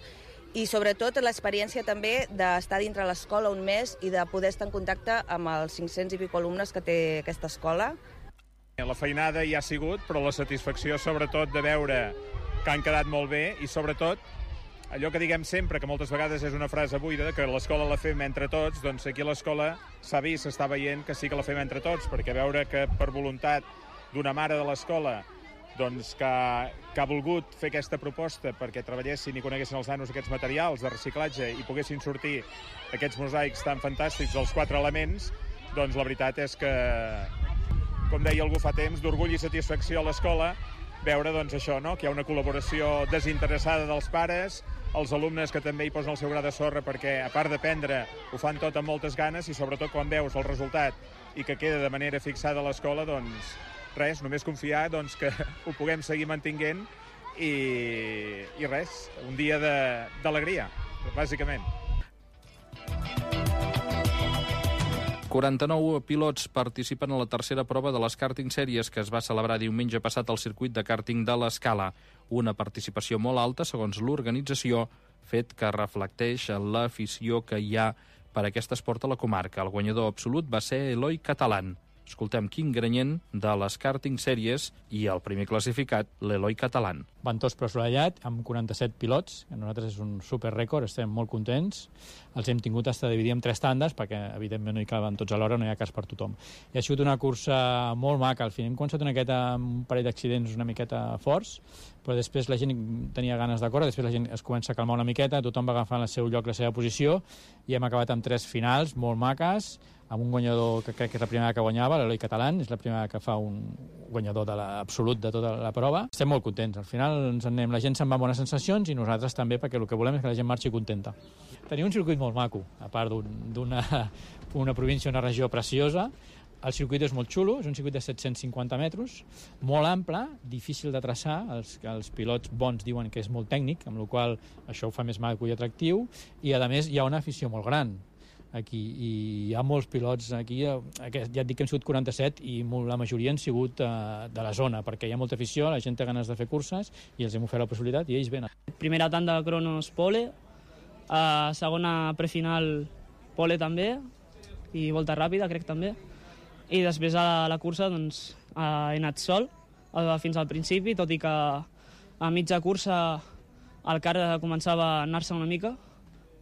i sobretot l'experiència també d'estar dintre l'escola un mes i de poder estar en contacte amb els cinc-cents i pico alumnes que té aquesta escola. La feinada hi ha sigut, però la satisfacció sobretot de veure que han quedat molt bé i sobretot allò que diguem sempre, que moltes vegades és una frase buida, que l'escola la fem entre tots, doncs aquí a l'escola s'ha vist, s'està veient que sí que la fem entre tots, perquè veure que per voluntat d'una mare de l'escola doncs que, que ha volgut fer aquesta proposta perquè treballessin i coneguessin els nanos aquests materials de reciclatge i poguessin sortir aquests mosaics tan fantàstics dels quatre elements, doncs la veritat és que, com deia algú fa temps, d'orgull i satisfacció a l'escola, veure doncs, això, no? Que hi ha una col·laboració desinteressada dels pares, els alumnes que també hi posen el seu gra de sorra perquè, a part d'aprendre, ho fan tot amb moltes ganes i sobretot quan veus el resultat i que queda de manera fixada a l'escola, doncs res, només confiar doncs, que ho puguem seguir mantinguent i, i res, un dia d'alegria, bàsicament. quaranta-nou pilots participen a la tercera prova de les Karting Sèries que es va celebrar diumenge passat al circuit de kàrting de l'Escala. Una participació molt alta, segons l'organització, fet que reflecteix l'afició que hi ha per aquest esport a la comarca. El guanyador absolut va ser Eloi Catalán. Escoltem Quim Granyent de les Karting Sèries i el primer classificat, l'Eloi Catalán. Ventós però assolellat, amb quaranta-set pilots, que nosaltres és un superrècord, estem molt contents. Els hem tingut hasta dividir en tres tandes, perquè evidentment no hi caben tots alhora, no hi ha cas per tothom. I ha sigut una cursa molt maca, al final hem començat una miqueta amb un parell d'accidents una miqueta forts, però després la gent tenia ganes de córrer, després la gent es comença a calmar una miqueta, tothom va agafant el seu lloc, la seva posició, i hem acabat amb tres finals molt maques, amb un guanyador que crec que és la primera que guanyava, l'Eloi Catalán, és la primera que fa un guanyador de l'absolut de tota la prova. Estem molt contents, al final ens en anem, la gent se'n va amb bones sensacions i nosaltres també, perquè el que volem és que la gent marxi contenta. Tenim un circuit molt maco, a part d'una una província, una regió preciosa. El circuit és molt xulo, és un circuit de set-cents cinquanta metres, molt ample, difícil de traçar, els, els pilots bons diuen que és molt tècnic, amb la qual cosa això ho fa més maco i atractiu, i a més hi ha una afició molt gran aquí, i hi ha molts pilots aquí, ja et dic que hem sigut quaranta-set i la majoria han sigut uh, de la zona, perquè hi ha molta afició, la gent té ganes de fer curses i els hem ofert la possibilitat i ells venen. Primera tanda de cronos pole, uh, segona prefinal pole també, i volta ràpida crec també, i després a la cursa doncs, uh, he anat sol uh, fins al principi, tot i que a mitja cursa el car començava a anar-se una mica,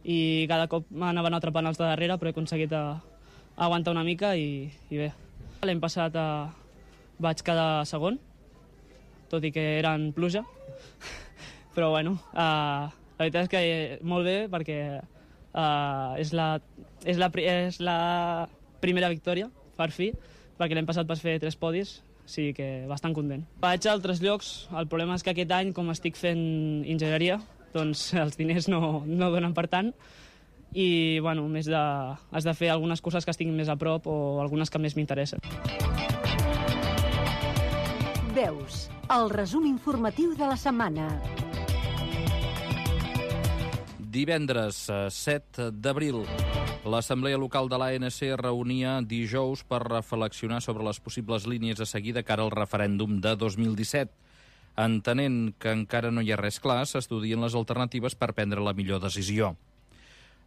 i cada cop m'anaven atrapant els de darrere, però he aconseguit a, a aguantar una mica i, i bé. L'any passat uh, vaig quedar segon, tot i que era en pluja, però bueno, uh, la veritat és que molt bé perquè uh, és, la, és, la, és la primera victòria, per fi, perquè l'any passat vas fer tres podis, o sigui que bastant content. Vaig a altres llocs, el problema és que aquest any, com estic fent enginyeria, doncs els diners no, no donen per tant i bueno, més de, has de fer algunes coses que estiguin més a prop o algunes que més m'interessen. Veus, el resum informatiu de la setmana. Divendres set d'abril, l'Assemblea Local de l'A N C reunia dijous per reflexionar sobre les possibles línies a seguir de cara al referèndum de dos mil disset. Entenent que encara no hi ha res clar, s'estudien les alternatives per prendre la millor decisió.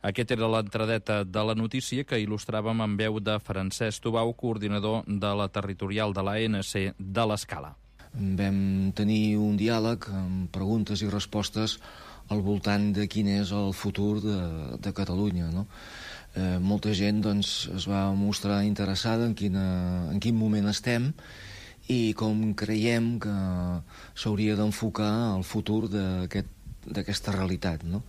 Aquest era l'entradeta de la notícia que il·lustràvem en veu de Francesc Tubau, coordinador de la territorial de l'A N C de l'Escala. Vam tenir un diàleg amb preguntes i respostes al voltant de quin és el futur de, de Catalunya, no? Eh, molta gent doncs, es va mostrar interessada en, quina, en quin moment estem i com creiem que s'hauria d'enfocar el futur d'aquesta aquest, realitat, no?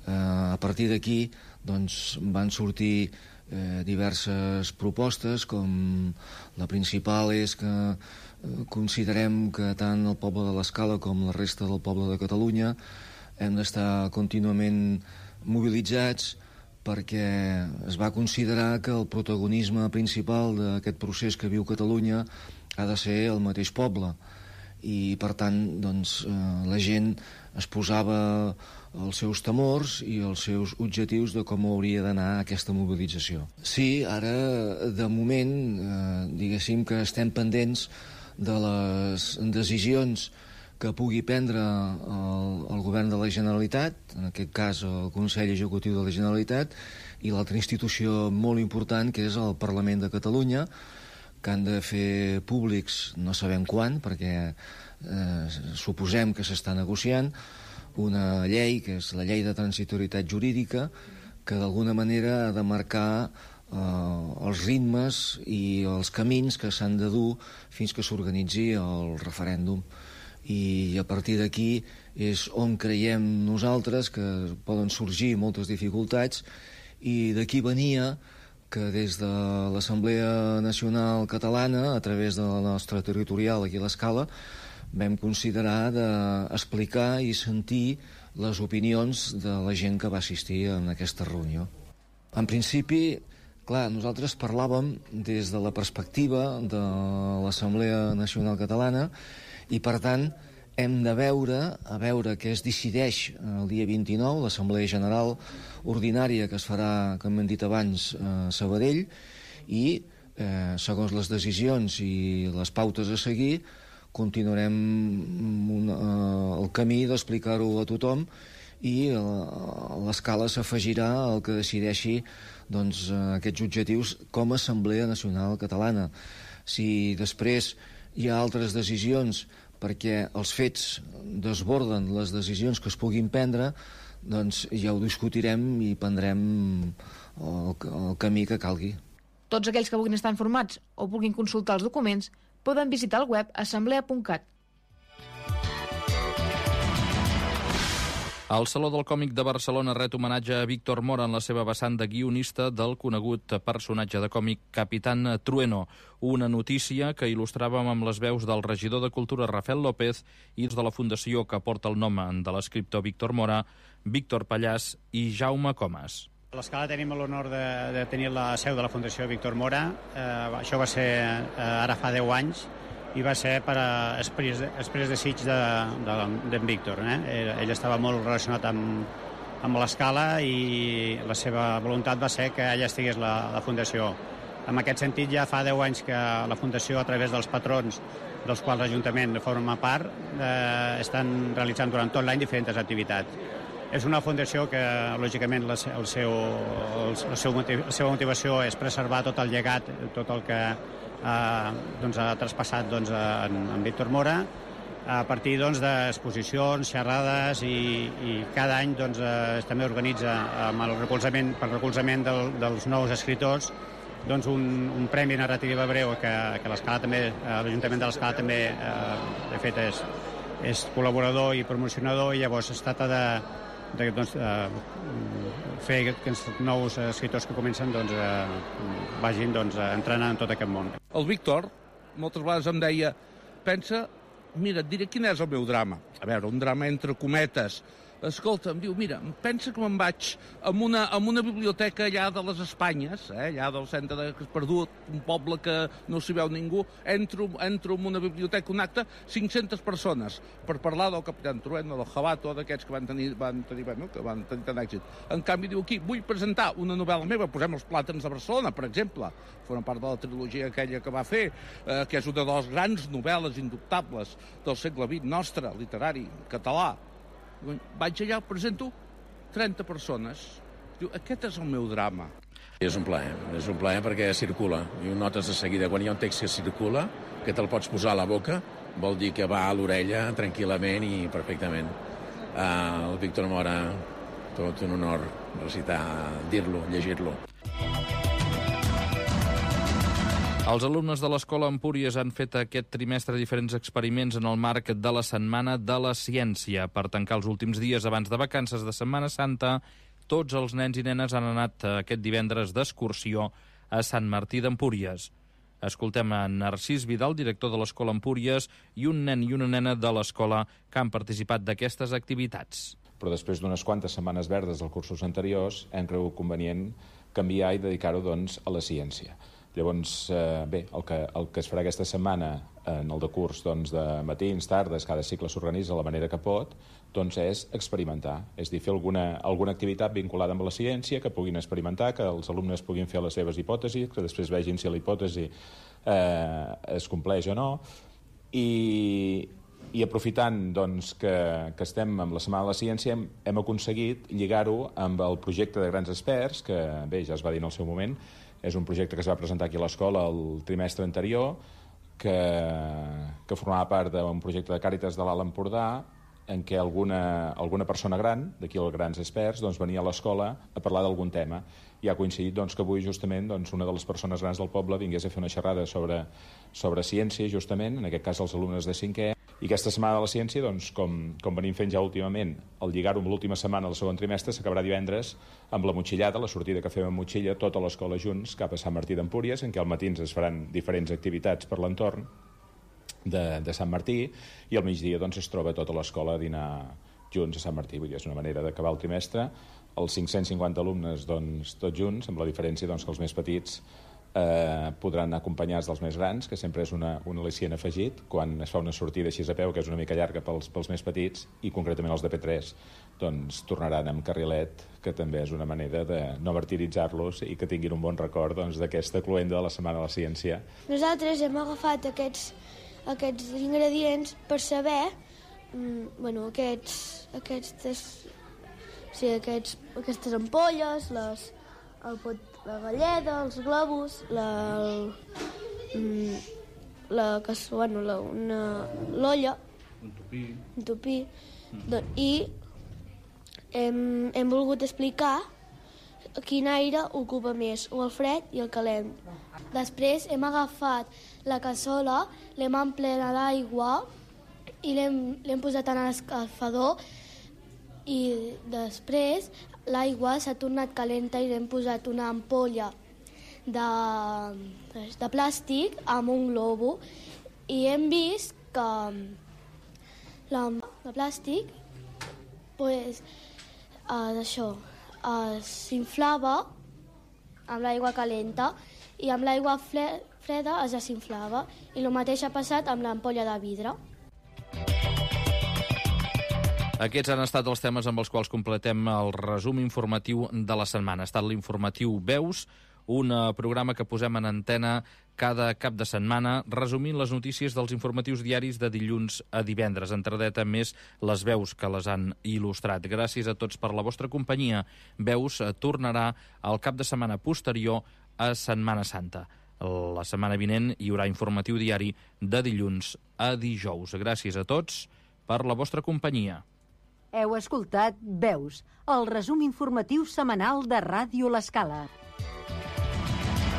Eh, a partir d'aquí doncs, van sortir eh, diverses propostes, com la principal és que eh, considerem que tant el poble de l'Escala com la resta del poble de Catalunya hem d'estar contínuament mobilitzats perquè es va considerar que el protagonisme principal d'aquest procés que viu Catalunya ha de ser el mateix poble, i per tant doncs, eh, la gent es posava els seus temors i els seus objectius de com hauria d'anar aquesta mobilització. Sí, ara, de moment, eh, diguéssim que estem pendents de les decisions que pugui prendre el, el govern de la Generalitat, en aquest cas el Consell Executiu de la Generalitat, i l'altra institució molt important, que és el Parlament de Catalunya, que han de fer públics, no sabem quan, perquè eh, suposem que s'està negociant, una llei, que és la llei de transitorietat jurídica, que d'alguna manera ha de marcar eh, els ritmes i els camins que s'han de dur fins que s'organitzi el referèndum. I a partir d'aquí és on creiem nosaltres que poden sorgir moltes dificultats, i d'aquí venia que des de l'Assemblea Nacional Catalana, a través de la nostra territorial aquí a l'Escala, vam considerar d'explicar i sentir les opinions de la gent que va assistir a aquesta reunió. En principi, clar, nosaltres parlàvem des de la perspectiva de l'Assemblea Nacional Catalana, i per tant hem de veure a veure què es decideix el dia vint-i-nou, l'Assemblea General Ordinària que es farà, com hem dit abans, a Sabadell, i eh, segons les decisions i les pautes a seguir continuarem un, eh, el camí d'explicar-ho a tothom, i a l'Escala s'afegirà el que decideixi doncs, aquests objectius com a Assemblea Nacional Catalana. Si després hi ha altres decisions perquè els fets desborden les decisions que es puguin prendre, doncs ja ho discutirem i prendrem el, el camí que calgui. Tots aquells que vulguin estar informats o vulguin consultar els documents poden visitar el web assemblea punt cat. El Saló del Còmic de Barcelona ret homenatge a Víctor Mora en la seva vessant de guionista del conegut personatge de còmic Capitán Trueno, una notícia que il·lustràvem amb les veus del regidor de Cultura Rafael López i de la fundació que porta el nom de l'escriptor Víctor Mora, Víctor Pallàs i Jaume Comas. A l'Escala tenim l'honor de, de tenir la seu de la Fundació Víctor Mora. Eh, això va ser eh, ara fa deu anys, i va ser per a Exprés, Exprés de Sitges d'en de, de, Víctor. Eh? Ell, ell estava molt relacionat amb, amb l'Escala, i la seva voluntat va ser que allà estigués la, la Fundació. En aquest sentit, ja fa deu anys que la Fundació, a través dels patrons, dels quals l'Ajuntament forma part, eh, estan realitzant durant tot l'any diferents activitats. És una fundació que, lògicament, la, el seu, el, el seu motiv, la seva motivació és preservar tot el llegat, tot el que eh, doncs, ha traspassat doncs, en, en Víctor Mora, a partir doncs, d'exposicions, xerrades, i, i cada any doncs, eh, també organitza, amb el recolzament, per recolzament del, dels nous escriptors, doncs, un, un premi narrativa breu que, que l'Escala també, eh, l'Ajuntament de l'Escala també, eh, de fet, és, és col·laborador i promocionador, i llavors es tracta de de doncs, eh, fer que els nous escriptors que comencen doncs, eh, vagin doncs, entrenant en tot aquest món. El Víctor moltes vegades em deia, pensa, mira, et diré quin és el meu drama. A veure, un drama entre cometes. Escolta, em diu, mira, pensa que me'n vaig amb una, amb una biblioteca allà de les Espanyes, eh, allà del centre de Perdut, un poble que no s'hi veu ningú, entro, entro en una biblioteca, un acte, cinc-centes persones, per parlar del Capitán Trueno, del Jabato, d'aquests que van tenir, van tenir, bueno, que van tenir tant èxit. En canvi, diu aquí, vull presentar una novel·la meva, posem Els plàtans de Barcelona, per exemple, forma part de la trilogia aquella que va fer, eh, que és una de les grans novel·les indubtables del segle vint nostre, literari, català. Vaig allà, presento trenta persones. Diu, aquest és el meu drama. És un plaer, és un plaer perquè circula. I ho notes de seguida. Quan hi ha un text que circula, que te'l pots posar a la boca, vol dir que va a l'orella tranquil·lament i perfectament. Uh, el Víctor Mora, tot un honor recitar, dir-lo, llegir-lo. Els alumnes de l'Escola Empúries han fet aquest trimestre diferents experiments en el marc de la Setmana de la Ciència. Per tancar els últims dies abans de vacances de Setmana Santa, tots els nens i nenes han anat aquest divendres d'excursió a Sant Martí d'Empúries. Escoltem a Narcís Vidal, director de l'Escola Empúries, i un nen i una nena de l'escola que han participat d'aquestes activitats. però després d'unes quantes setmanes verdes dels cursos anteriors hem cregut convenient canviar i dedicar-ho doncs, a la ciència. Llavors, eh, bé, el que, el que es farà aquesta setmana en el de curs doncs, de matins, tardes, cada cicle s'organitza de la manera que pot, doncs és experimentar, és dir, fer alguna, alguna activitat vinculada amb la ciència, que puguin experimentar, que els alumnes puguin fer les seves hipòtesis, que després vegin si la hipòtesi eh, es compleix o no, i, i aprofitant doncs, que, que estem amb la Setmana de la Ciència hem, hem aconseguit lligar-ho amb el projecte de grans experts, que bé, ja es va dir en el seu moment, és un projecte que es va presentar aquí a l'escola el trimestre anterior, que, que formava part d'un projecte de Càritas de l'Alt Empordà, en què alguna, alguna persona gran, d'aquí els grans experts, doncs, venia a l'escola a parlar d'algun tema. I ha coincidit doncs, que avui justament doncs, una de les persones grans del poble vingués a fer una xerrada sobre, sobre ciència, justament, en aquest cas els alumnes de cinquè. I aquesta Setmana de la Ciència, doncs, com, com venim fent ja últimament, al lligar-ho amb l'última setmana del segon trimestre, s'acabarà divendres amb la motxillada, la sortida que fem amb motxilla, tota l'escola junts cap a Sant Martí d'Empúries, en què al matins es faran diferents activitats per l'entorn de, de Sant Martí, i al migdia doncs, es troba tota l'escola a dinar junts a Sant Martí. Vull dir, és una manera d'acabar el trimestre. Els cinc-cents cinquanta alumnes doncs, tots junts, amb la diferència doncs, que els més petits eh, podran anar acompanyats dels més grans, que sempre és una, un al·licient afegit, quan es fa una sortida així a peu, que és una mica llarga pels, pels més petits, i concretament els de P tres doncs, tornaran amb carrilet, que també és una manera de no martiritzar-los i que tinguin un bon record doncs, d'aquesta cluenda de la Setmana de la Ciència. Nosaltres hem agafat aquests, aquests ingredients per saber mm, bueno, aquests, aquestes, sí, aquests, aquestes ampolles, les, el pot, la galleda, els globus, la, el, la, bueno, la, una, l'olla, un tupí, un tupí mm. i hem, hem volgut explicar quin aire ocupa més, o el fred i el calent. Després hem agafat la cassola, l'hem emplenat d'aigua i l'hem posat en l'escalfador, i després l'aigua s'ha tornat calenta i l'hem posat una ampolla de, de plàstic amb un globo, i hem vist que la de plàstic pues, eh, això, eh, s'inflava amb l'aigua calenta i amb l'aigua freda es desinflava, i el mateix ha passat amb l'ampolla de vidre. Aquests han estat els temes amb els quals completem el resum informatiu de la setmana. Ha estat l'informatiu Veus, un programa que posem en antena cada cap de setmana, resumint les notícies dels informatius diaris de dilluns a divendres. Entradeta més les veus que les han il·lustrat. Gràcies a tots per la vostra companyia. Veus tornarà al cap de setmana posterior a Setmana Santa. La setmana vinent hi haurà informatiu diari de dilluns a dijous. Gràcies a tots per la vostra companyia. Heu escoltat Veus, el resum informatiu setmanal de Ràdio L'Escala.